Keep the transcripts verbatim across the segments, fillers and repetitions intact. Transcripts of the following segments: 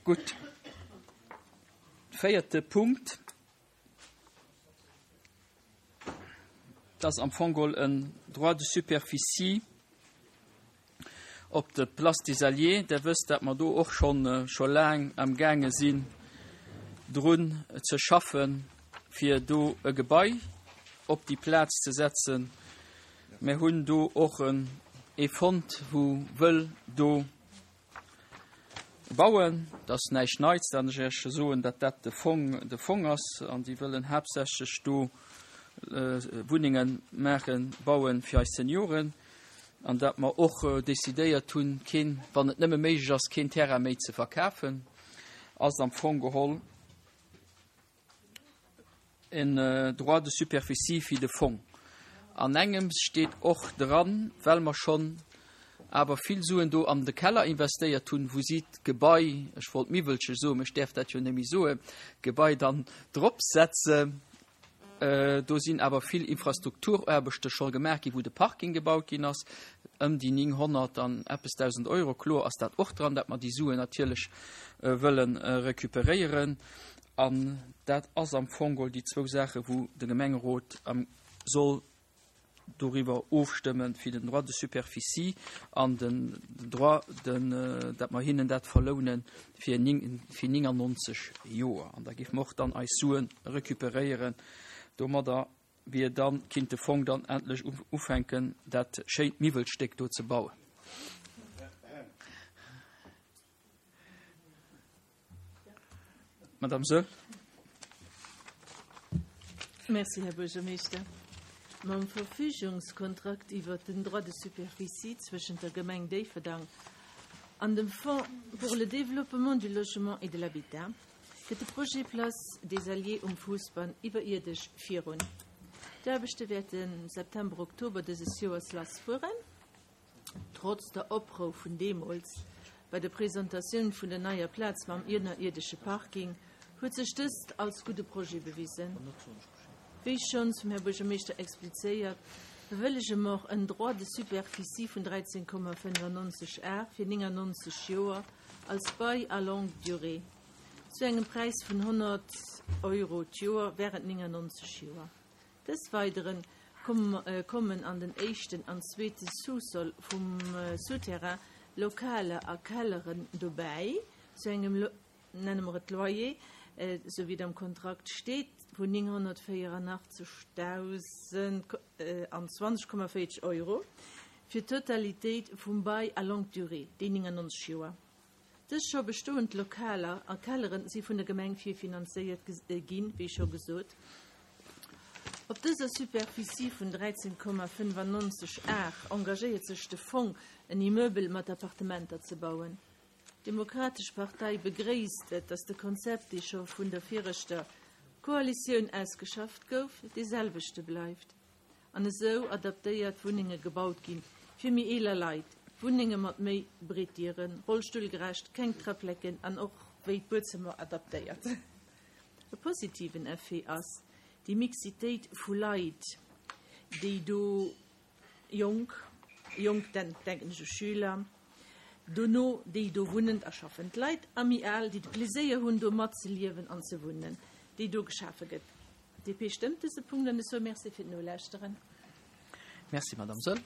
Gutt. Véierte Punkt, dat ass am Fong geholl en Droit de superficie op der Place des Alliés. Der wësst, dat mer do och schonn scho laang amgaange sinn, drun ze schaffen, fir do e Gebai op déi Plaz ze setzen. Mir hunn do och en ee fonnt, wou wëll do bauen. Dat ass näischt Neits, dat ech Iech soen, datt dat de Fong de Fong ass an déi wëllen haaptsächlech do Wunnenge maachen, bauen fir eis Senioren an datt mer och decidéiert hunn, keen, wann et nëmme méiglech ass, keen Terrain méi ze verkafen, ass am Fong geholl en Droit de superficie fir de Fong. An engems steet och dran, well mer schonn awer vill Suen do an de Keller investéiert hunn, wou si d'Gebai, ech wollt Miwwelche soen, mä ech däerf dat jo net méi soen, d'Gebai dann drop setzen. Do sinn awer vill Infrastrukturaarbechte scho gemaach ginn, wou de Parking gebaut ginn ass, ëm déi nénghonnert an eppes Dausend Euro. Kloer ass dat och dran, datt mer déi Suen natierlech wëlle recuperéieren. An dat ass am Fong geholl déi zwou Saachen, wou de Gemengerot soll doriwwer ofstëmmen, fir den Droit de superficie an den Droit de, datt mer hinnen dat verlounen fir néngannonzeg Joer. An da géife mer och dann eis Sue recuperéieren. Domadder wier dann, kinnt de Fong dann endlech ufänken, dat schéint Miwwelstéck do ze bauen. Madame Saeul. Merci, Här Buergermeeschter. Mam Verfügungskontrakt iwwert den Droit de superficie zwëschent der Gemeng Déifferdang an dem Fonds pour le développement du logement et de l'habitat geet de Projet Place des Alliés um Fousbann iwwerierdesch virun. D'Aarbechte wäerte September, Oktober dëses Joers lassfueren. Trotz der Oprou vun deemools bei der Presentatioun vun der neier Plaz mam ënnerierdesche Parking huet sech dëst als gudde Projet bewisen. Wéi schonns vum Här Buergermeeschter explizéiert, bewëllege mer en Droit de superficie vun dräizéng Komma fënnefannonzeg Ar fir néngannonzeg Joer als Bail à longue durée zu engem Präis vun honnert Euro d'Joer während néngannonzeg Joer. Dës Weidere kommen an den éischten an zweete Sous-sol vum Souterrain Lokaler a Kelleren dobäi zu engem, nenne mer et Loyer, esou wéi et am Kontrakt steet, vun nénghonnertvéierunachtzegtausendzwanzeg Komma véierzeg Euro fir d'Totalitéit vum Bail à longue durée, déi néngannonzeg Joer. Dës scho bestoend Lokaler a Kellere si vun der Gemeng virfinanzéiert ginn, wéi scho gesot. Op dëser Superficie vun dräizéng Komma fënnefannonzeg Ar engagéiert sech de Fong, en Immeuble mat Appartementer ze bauen. D'Demokratesch Partei begréisst et, datt de Konzept, dee scho vun der viregter Koalitioun ausgeschafft gouf, dee selwechte bleift an esou adaptéiert Wunnenge gebaut ginn fir méi eeler Leit, Wunnenge mat méi breet Dieren, rollstullgerecht, keng Träpplecken an och wéi d'Buedzëmmer adaptéiert. E positiven Effet ass déi Mixitéit vu Leit, déi do jonk, jonk denken ech u Schüler, dono déi do wunnend a schaffend Leit a méi al, déi de Pleséier hunn, do matzeliewen an ze wunnen, déi do geschafe gëtt. D P stëmmt dëse Punkt an ech soe Merci fir d'Nolauschteren. Merci, Madame Saeul.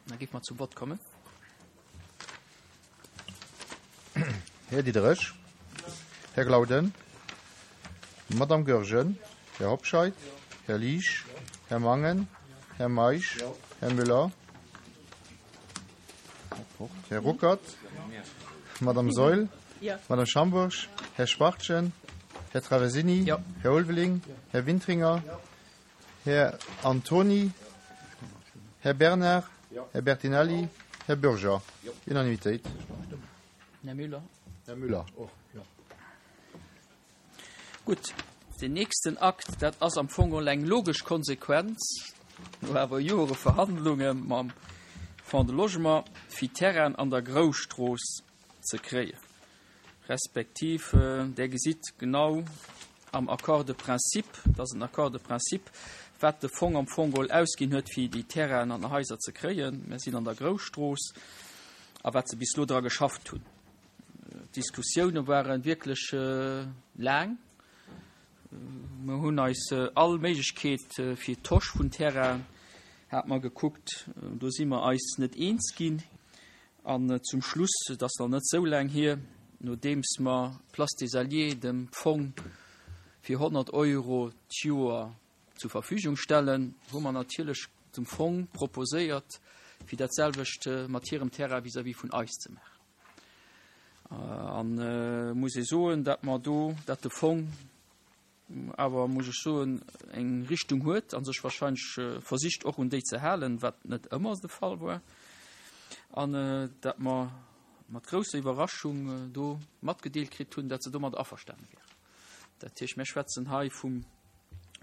Da géife mer zum Vott kommen. Här Diderich, Här Glauden, Madame Goergen, Här Hobscheit, Här Liesch, Här Mangen, Här Meisch, Här Müller, Här Ruckert, Madame Saeul, Madame Schambourg, Här Schwachtgen, Här Traversini, Här Ulveling, Här Wintringer, Här Antoni, Här Bernard, Här Bertinelli, Här Bürger. Unanimitéit. Här Müller. Här Müller och, jo. Gutt, deen nächsten Akt, dat ass am Fong geholl eng logesch Konsequenz no awer Jore Verhandlunge mam Fonds de Logement, fir Terrainen an der Grousstrooss ze kréien. Respektiv, Der gesitt genau am Accord de principe, dat ass en Accord de principe, wat de Fong am Fong geholl ausginn huet, fir déi Terrainen an Haiser ze kréien. Mir sinn an der Grousstrooss a wat se bis elo dra geschafft hunn. D'Diskussioune ware wierklech laang. Mer hunn eis all Méiglechkeet fir Tosch vun Terrain hat mer gekuckt. Do si mer eis net eens ginn. An zum Schluss, et ass nach net esou laang hier, nodeems mer d'Place des Alliés dem Fong fir honnert Euro d'Joer zur Verfügung stellen, hu mer natierlech dem Fong proposéiert, fir dat selwecht mat hirem Terrain vis-à-vis vun eis ze maachen. An muss ee soen, datt mer do, datt de Fong awer, muss ech soen, eng Richtung huet a sech wahrscheinlech versicht och un déi ze halen, wat net ëmmer de Fall war, an datt mer mat grousser Iwwerraschung do matgedeelt kritt hunn, datt se domat averstane wieren. Dat heescht, mir schwätzen hei vum,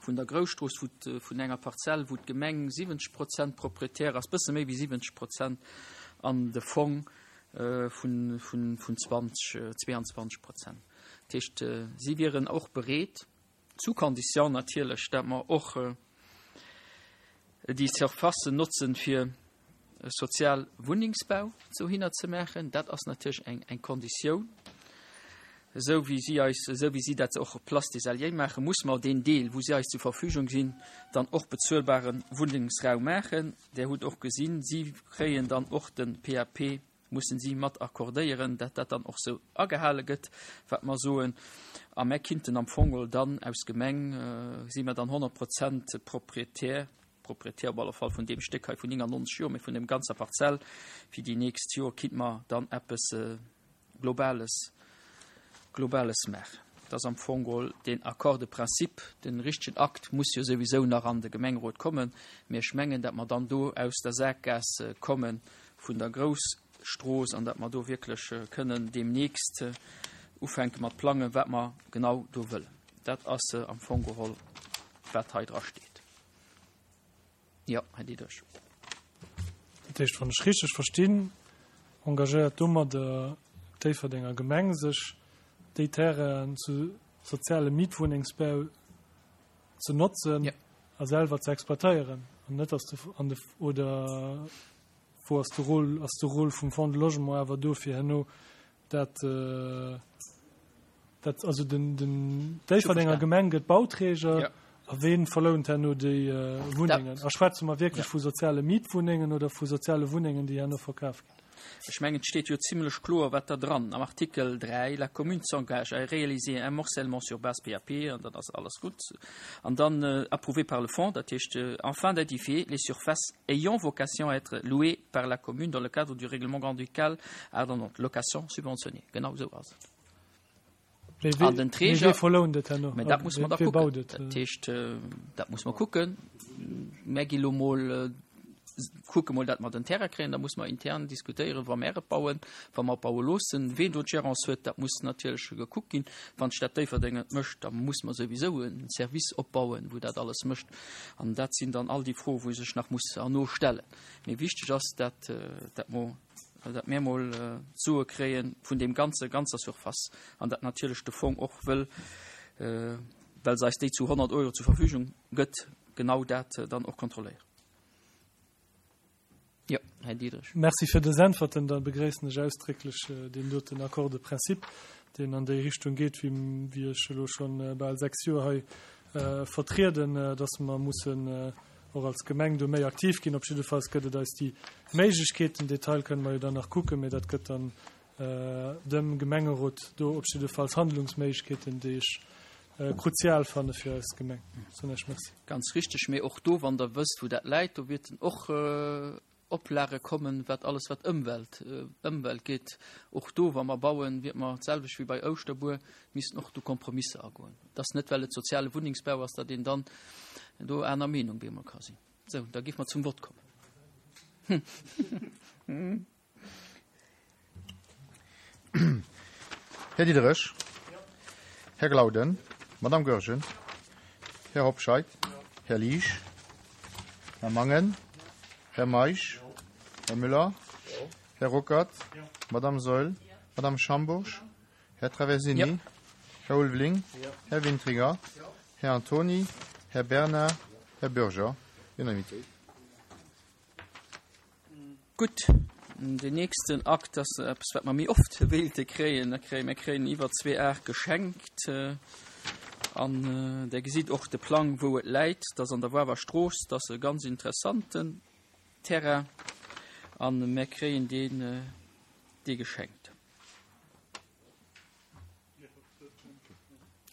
vun der Grousstrooss, wou vun enger Parzell, wou d'Gemeng siwwenzeg Prozent Proprietär ass, bësse méi wéi siwwenzeg Prozent, an de Fong vun, vun, vun zwanzeg, zweeanzwanzeg Prozent. Dat heescht, si wieren och bereet, sous condition natierlech, dat mer och déi Surfacen notzen, fir sozial Wunnengsbau dohinner ze maachen. Dat ass natierlech eng, eng Konditioun. Esou wéi si eis, esou wéi si dat och op Place des Alliés maachen, muss mer deen Deel, wou si eis zur Verfügung sinn, dann och bezuelbare Wunnengsraum maachen. Där hutt och gesinn, si kréien dann och de P A P, mussen si mat accordéieren, dat dat dann och sou agehale gëtt, wat mer soen. A mer kinnten am Fong dann aus Gemeng, si mer dann honnert Prozent Proprietär, Proprietär op alle Fall vun deem Stéck hei vun neunundneunzeg Joer, mee vun dem ganzer Parzell fir déi nächst Joer kinnt mer dann eppes Globales, Globales maachen. Dat ass am Fong geholl den Accord de principe. Den richtegen Akt muss jo souwisou nach an de Gemengerot kommen, mee ech mengen, datt mer dann do aus der Saakgaass komme vun der Grousstrooss an datt mer do wierklech kënnen deemnächst ufänke mat plangen, wat mer genau do wëllen. Dat ass am Fong geholl, wat hei dra steet. Jo, Här Diderich. Dat heescht, wann ech richteg verstinn, engagéiert domadder d'Déifferdenger Gemeng sech, déi Terrainen zu soziale Mietwunnengsbau ze notzen Ja. a selwer ze exploitéieren. An net ass de, an de, oder wou ass de Rôle, ass de Rôle vum Fonds de Logement awer do fir herno dat, äh, dat also den, den Déifferdenger Gemeng gëtt Bauträger Ja. a ween verlount herno déi, äh, Wunnengen? Dat A schwätze mer wierklech Ja. vu soziale Mietwunnengen oder vu soziale Wunnengen, déi herno verkaf ginn? Ech mengen, et steet jo zimlech kloer, wat da dran. Am Artikel dräi, la commune s'engage à réaliser un morcellement sur base P A P, an dann ass alles gutt. An dann, äh, approuvé par le fonds, dat heescht, äh, afin d'édifier les surfaces ayant vocation à être louées par la commune dans le cadre du règlement grand-ducal, ah, non, non, location subventionnée. Genau esou ass et. Mee wee An den mee Träger wee verlount et herno? Mee dat muss man da Wee kucken. baut et? Dat heescht, äh, dat muss man kucken. Mer gi lo mol, äh, kucke mol, dat mer den Terrain kréien, da muss man intern diskutéieren, wa mer et bauen, wa mer baue loossen, ween do d'Gérance huet, dat muss natierlech gekuckt ginn. Wann d'Stad Déifferdeng et mécht, da muss man souwisou en Service opbauen, wou dat alles mécht. An dat sinn dann all déi Froen, wou sech nach muss herno stellen. Mee wichteg ass, dat, äh, dat mo, dat mir mol, äh, d'Sue kréien vun dem ganze, ganzer Surface. An dat natierlech de Fong och wëll, äh, well se eis déi zu honnert Euro zur Verfügung gëtt, genau dat, äh, dann och kontrolléieren. Ja, Här Diderich. Merci fir des Äntwerten. Da begréissen ech ausdrécklech, äh, deen doten Accord de principe, deen an déi Richtung geet, wéi, wéi ech elo schonn, äh, bal sechs Joer hei, äh, vertrieden, äh, dass mer mussen, äh, och als Gemeng do méi aktiv ginn. Op jiddefalls gëtt et eis déi Méiglechkeeten. Detail kënne mer jo dann nach kucken, mee dat gëtt dann, äh, dem Gemengerot do op jiddefalls Handlungsméiglechkeeten, déi ech, äh, kruzial fanne fir eis Gemeng. So, ech merci. Ganz richteg, mee och do, wann der wësst, wou dat läit, do wäerten och, äh, Oplage kommen, wat alles wat Ëmwelt, äh, Ëmwelt geet. Och do, wa mer bauen, wird mer d'selwecht wéi bei Ouschterbuer, missten och do Kompromisse agoen. Dat ass net, well et soziale Wunnengsbau ass, datt een dann do aner Meenung bemol ka sinn. So, da géif mer zum Wort kommen. Här Diderich, Här Glauden, Madame Goergen, Här Hobscheit, Här Liesch, Här Mangen, Här Meisch, Här Müller, Här Ruckert, Madame Seul, Madame Schamburg, Här Traversini, Ja. Här Ulveling, Här Wintringer, Här Antoni, Här Bernard, Här Bürger. Unanimité. Gut, Den nächsten Akt, das eppes, wat mer méi oft wéilte kréien, da kréie mir kréien iwwer zwee Ar geschenkt. An Der gesitt och de Plang, wou et läit. Dat ass an der Woarwer Strooss. Dat ass e ganz interessanten Terrain. An mir kréien deen, dee geschenkt.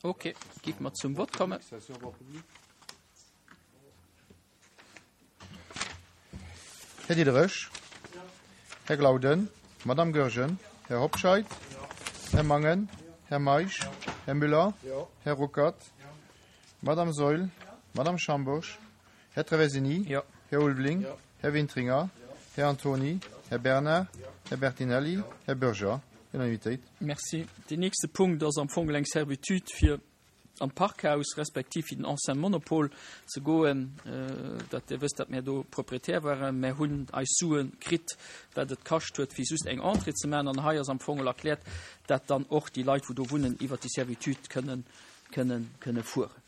Ok, giff mer zum Vott kommen. Här Diderich. Här Glauden. Madame Goergen. Här Hobscheit. Här Mangen. Här Meisch. Här Müller. Här Ruckert. Madame Saeul. Madame Schambourg. Här Traversini. Här Ulveling. Här Wintringer. Här Antony. Här Bernard. Här Bertinelli. Här Bürger. Unanimitéit. Merci. Deen nächste Punkt ass am Fong eng Servitude fir an d'Parkhaus respektiv fir den Ancien Monopol ze goen. Dat Dir wësst, datt mir do Proprietär waren. Mir hunn eis Sue kritt, wat et kascht huet, fir just eng Entrée ze maachen. An hei ass am Fong erkläert, datt dann och déi Leit, wou do wunnen, iwwert déi Servitude kënnen, kënnen, kënne fueren.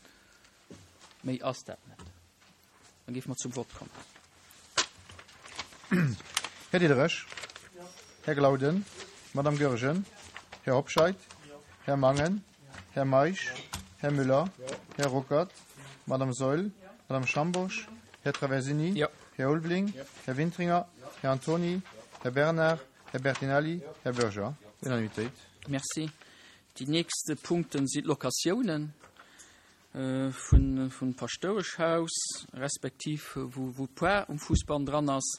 Méi ass dat net. Dann géife mer zum Vott kommen. Här Diderich. Här Glauden. Madame Goergen. Här Hobscheit. Här Mangen. Här Meisch. Här Müller. Här Ruckert. Madame Saeul. Madame Schambourg. Här Traversini. Här Ulveling. Här Wintringer. Här Antony. Här Bernard. Här Bertinelli. Här Bürger. Unanimitéit. Merci. Déi nächste Punkten si d'Locatiounen vun vum Paschtoueschhaus, respektiv wou wou d'Poire um Fuussbann dran ass.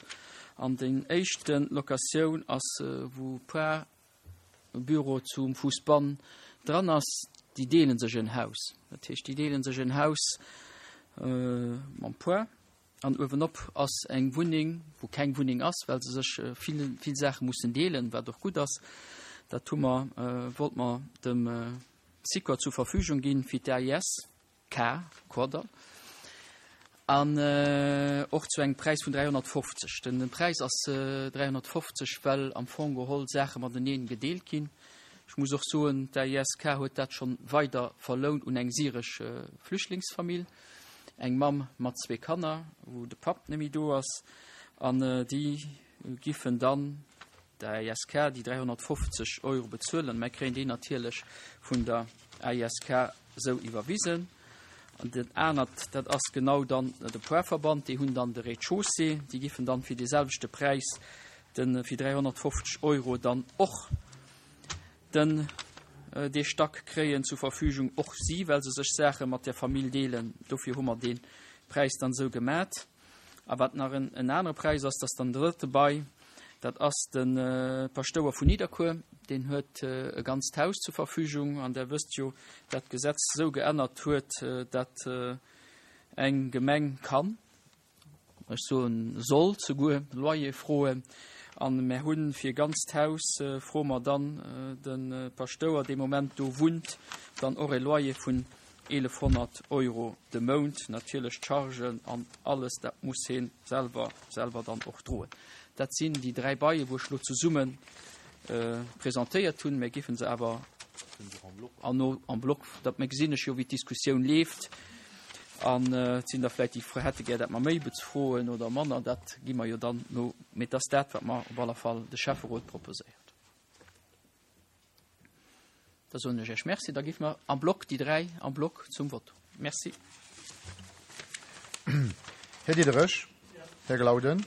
An déi éischten Locatioun ass, wou d'Poire Büro zum Fuussbann dran ass. Déi deele sech en Haus. Dat heescht, déi deele sech en Haus mam Poire. An uewenop ass eng Wunneng, wou keng Wunneng ass, well se sech vill, vill Saache mussen deelen, wat och gutt ass. Dat hu mer, wollt mer dem Sikor zur Verfügung ginn fir d'A I S K, Kordall. An och zu engem Präis vun dräihonnertfofzeg. Den Präis ass dräihonnertfofzeg, well am Fong geholl Saache mateneen gedeelt ginn. Ech muss och soen, d'A I S K huet dat schonn weider verlount un eng syresch Flüchtlingsfamill. Eng Mamm mat zwee Kanner, wou de Papp net méi do ass. An déi giffen dann der A I S K déi dräihonnertfofzeg Euro bezuelen. Mir kréien déi natierlech vun der A I S K sou iwwerwisen. An den anert, dat ass genau dann de Poarverband, déi hunn dann de Rez-de-chaussée, déi giffen dann fir de selwechte Präis den fir dräihonnertfofzeg Euro dann och den dee Stack kréien zur Verfügung, och si, well se sech Saache mat der Famill deelen. Dofir hu mer den Präis dann sou gemat. A wat nach en, en anere Präis ass, dat dann drëtte bei, dat ass den Paschtouer vun Nidderkuer, den huet e ganzt Haus zur Verfügung, an der wësst jo, dat Gesetz sou geännert huet, dat eng Gemeng kann, ech soen soll souguer Loyer froen. An mir hunn fir ganzt Haus froe mer dann den Paschtouer, dee Moment do wunnt, dann och e Loyer vun elefhonnert Euro de Mount, natierlech Chargen an alles, dat muss hien selwer, selwer dann och droen. Dat sinn déi dräi Baie, wou ech lo zesummen presentéiert hunn. Mir giffen se awer an no am Block, dat mir gesinn ech jo, wéi d'Diskussioun leeft. An et sinn da vläicht déi Fro hätte gär, dat mer méi bezfroen oder manner, dat gi mer jo dann no, mee dat ass dat, wat mer op alle Fall de Schäfferot proposéiert. Da soen ech Iech Merci, da gi mer am Block déi dräi am Block zum Vott. Merci. Här Diderich, Här Glauden,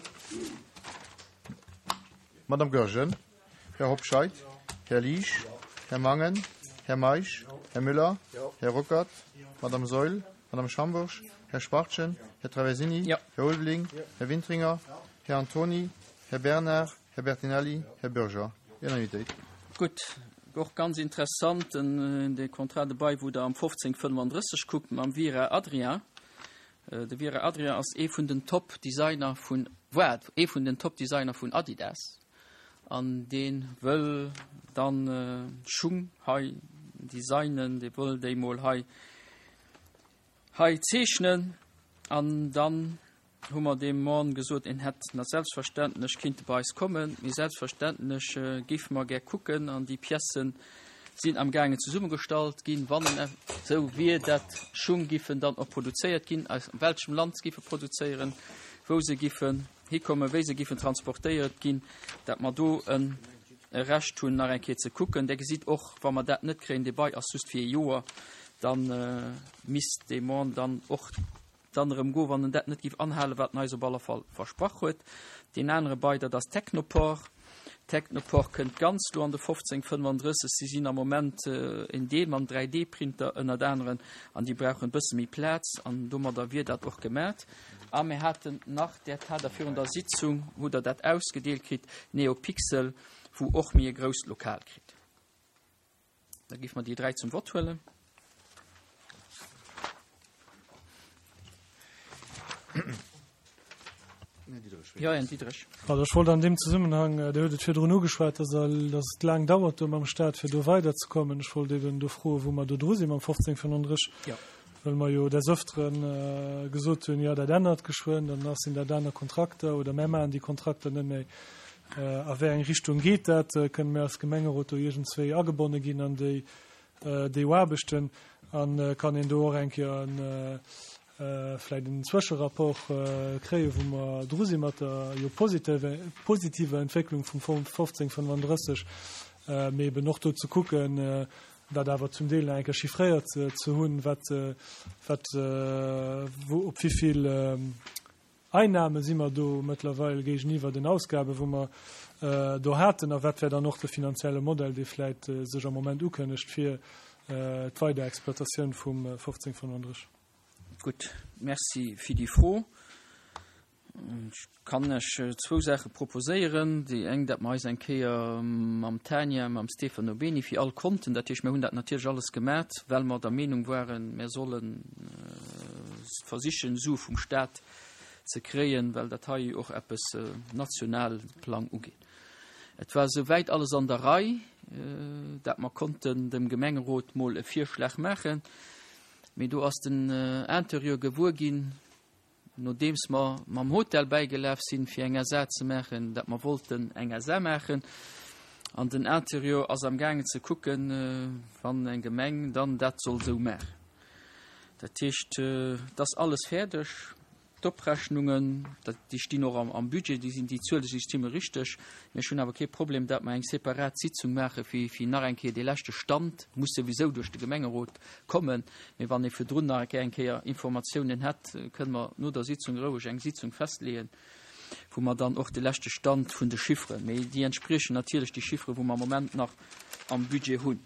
Madame Goergen, Här Hobscheit, Här Liesch, Här Mangen, Här Meisch, Här Müller, Här Ruckert, Madame Saeul, Madame Schambourg, Här Schwartjen, Här Traversini, Här Ulveling, Här Wintringer, Här Antony, Här Bernard, Här Bertinelli, Här Bürger. Unanimitéit. Gutt, och ganz interessant, den, de Contrat de bail, wou der am fofzéng fënnefundrësseg kuckt, mam Vira Adrien. De Vira Adrien ass ee vun den Top-Designer vun, war ee vun den Top-Designer vun Adidas. An deen wëll dann Schung hei designen, dee wëll déi mol hei, hei zeechnen. An dann hu mer dem Mann gesot, en hätt na selbstverständlech kinnt bei eis kommen, mee selbstverständlech géife mer gär kucken, an déi Piècen sinn am gaangen zesummegestallt ginn, wann en sou wier, dat Schung giffen dann och produzéiert ginn, aus welchem Land se giffe produzéieren, wou se giffen hikommen, wéi se giffen transportéiert ginn, dat mer do e Recht hunn, nach eng Kéier ze kucken. Der gesitt och, wa mer dat net kréien, dee Bail ass just fir ee Joer, da misst dee Mann dann och dann erëm goen, wann en dat net giff anhalen, wat en eis op alle Fall versprach huet. Deen anere Bail, dat ass Technoport. Technoport kënnt ganz do an de fofzéng fënnfandrësseg. Si sinn am Moment en Deel mam dräi D Printer ënnert aneren an déi brauchen e bësse méi Plaz an domadder wier dat och gemat. A mir haten nach, dat hat Der virun der Sitzung, hutt Der dat ausgedeelt kritt, Neopixel, wou och méi e grousst Lokal kritt. Da géife mer déi dräi zum Vott huelen. Jo, Här Diderich. Also ech wollt an deem Zesummenhang, Dir hutt et virdrun ugeschwat, dass dass et laang dauert do mam Stat, fir do weiderzekommen. Ech wollt eben do froen, wou mer do dru si mam fofzéng fënnenddrësseg, well mer jo des Öfteren gesot hunn, jo dat ännert geschwënn, dann sinn dat aner Kontrakter oder mär maachen déi Kontrakter net méi. A wéi eng Richtung geet dat? Kënne mir als Gemengerot do iergendswéi agebonne ginn an déi déi Aarbechten? A kann een do och eng Kéier en vläicht en Zwëscherapport kréien, wou mer dru si mat der jo positiver Entwécklung vum Fonds fofzéng fënnfandrësseg, mee eben och do ze kucken, dat awer zum Deel nach eng Kéier chiffréiert ze hunn, wat wat wou op wéi vill Einnahme si mer do mëttlerweil géigeniwwer den Ausgaben, wou mer do haten, a wat wär dann och de finanzielle Modell, dee vläicht sech am Moment ukënnegt fir d'Weiderexploitatioun vum fofzéng fënnfandrësseg. Gutt, Merci fir déi Fro. Ech kann lech zwou Saache proposéieren. Déi eng, datt mer eis eng Kéier mam Tania, mam Stefano Beni fir all Konten, dat heescht, mir hunn dat natierlech alles gemat, well mer der Meenung waren, mir solle versichen, Sue vum Stat ze kréien, well dat hei och eppes national Plang ugeet. Et war souwäit alles an der Rei, dat mer konnten dem Gemengerot mol e Virschlag maachen. Mee do ass den Interieur gewuer ginn, nodeems mer mam Hotel bäigelaf sinn, fir eng S A ze maachen, dat mer wollten eng S A maachen. An den Interieur ass am gaangen ze kucken, wann eng Gemeng dann dat soll esou maachen. Dat heescht, et ass alles fäerdeg. D'Oprechnungen, déi stinn och am Budget, déi sinn, déi Zuele si stimme richteg. Mee ech hunn awer kee Problem, datt mer eng separat Sitzung maache fir, fir nach eng Kéier dee leschte Stand, muss souwisou duerch de Gemengerot kommen, mee wann ee virdrun nach eng Kéier Informatiounen hätt, kënne mer no der Sitzung roueg eng Sitzung festleeën, wou mer dann och de leschte Stand vun de Chifferen, mee déi entspriechen natierlech déi Chiffere wou mer am Moment nach am Budget hunn.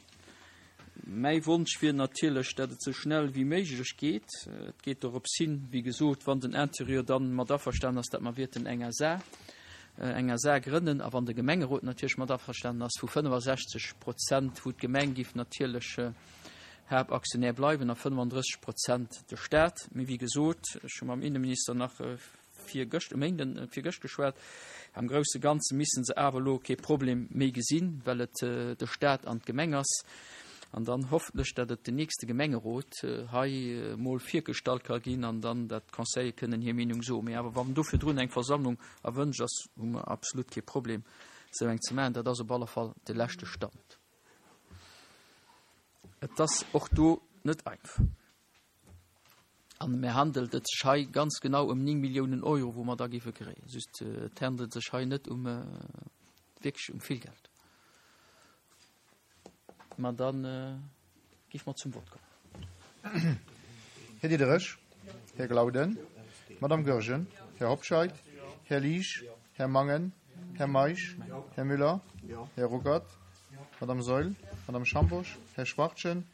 Mäi Wonsch wier natierlech, datt et sou schnell wéi méiglech geet. Et geet dorops hin, wéi gesot, wann den Interieur dann mat averstanen ass, datt mer wierten eng S A, eng S A grënnen, a wann de Gemengerot natierlech mat averstanen ass, vu fënnefasechzeg Prozent, wou d'Gemeng giff natierlech Haaptaktionär bleiwen a fënnefandrësseg Prozent de Staat. Mee wéi gesot, ech hu mam Inneminister nach virgëscht, e Méinden, virgëscht geschwat, am grousse Ganze missen se awer elo kee Problem méi gesinn, well et de Staat an d'Gemeng ass. An dann hoffentlech, datt et den nächste Gemengerot hei emol virgestallt ka ginn an dann dat d'Conseiller kënnen hir Meenung soen. Mee awer wann do virdrun eng Versammlung erwënscht ass, hu mer absolut kee Problem, esou eng ze maachen. Dat ass op alle Fall de leschte Stand. Et ass och do net einfach. An mir handelt et sech hei ganz genau ëm néng Milliounen Euro, wou mer da géife kréien. Just, et handelt sech hei net um wierklech um vill Geld. Ma dann géife mer zum Vott kommen. Här Diderich, Här Glauden, Madame Goergen, Här Hobscheit, Här Liesch, Här Mangen, Här Meisch, Här Müller, Här Ruckert, Madame Saeul, Madame Schambosch, Här Schwachtgen,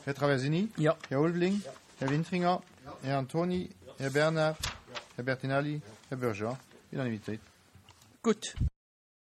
Här Traversini, Här Ulveling, Här Wintringer, Här Antoni, Här Bernard, Här Bertinelli, Här Bürger. Unanimitéit. Gutt.